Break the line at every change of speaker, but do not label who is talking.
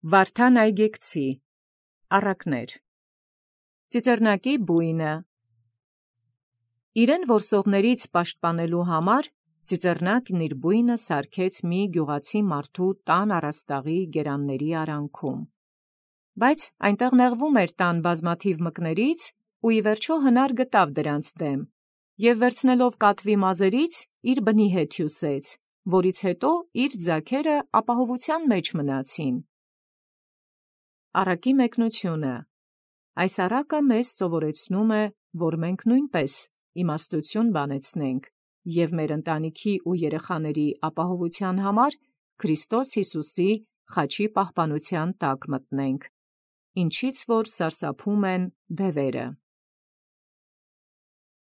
Վարդան այգեկցի, առակներ։ Ծիծեռնակի բույնը։ Իրեն որսողներից պաշտպանելու համար Ծիծեռնակն իր բույնը սարքեց մի գյուղացի մարդու տան առաստաղի գերանների արանքում։ Բայց այնտեղ նեղվում էր տան բազմաթիվ մկներից, ու ի վերջո հնար գտավ դրանց դեմ, և վերցնելով կատվի մազերից իր բնի հետ հյուսեց, որից հետո իր ձագերը ապահովության մեջ մնացին։ Առակի մեկնությունը։ Այս առակը մեզ սովորեցնում է, որ մենք նույնպես իմաստություն բանեցնենք և մեր ընտանիքի ու երեխաների ապահովության համար Քրիստոս Յիսուսի խաչի պահպանության տակ մտնենք, ինչից որ սարսափում են դևերը։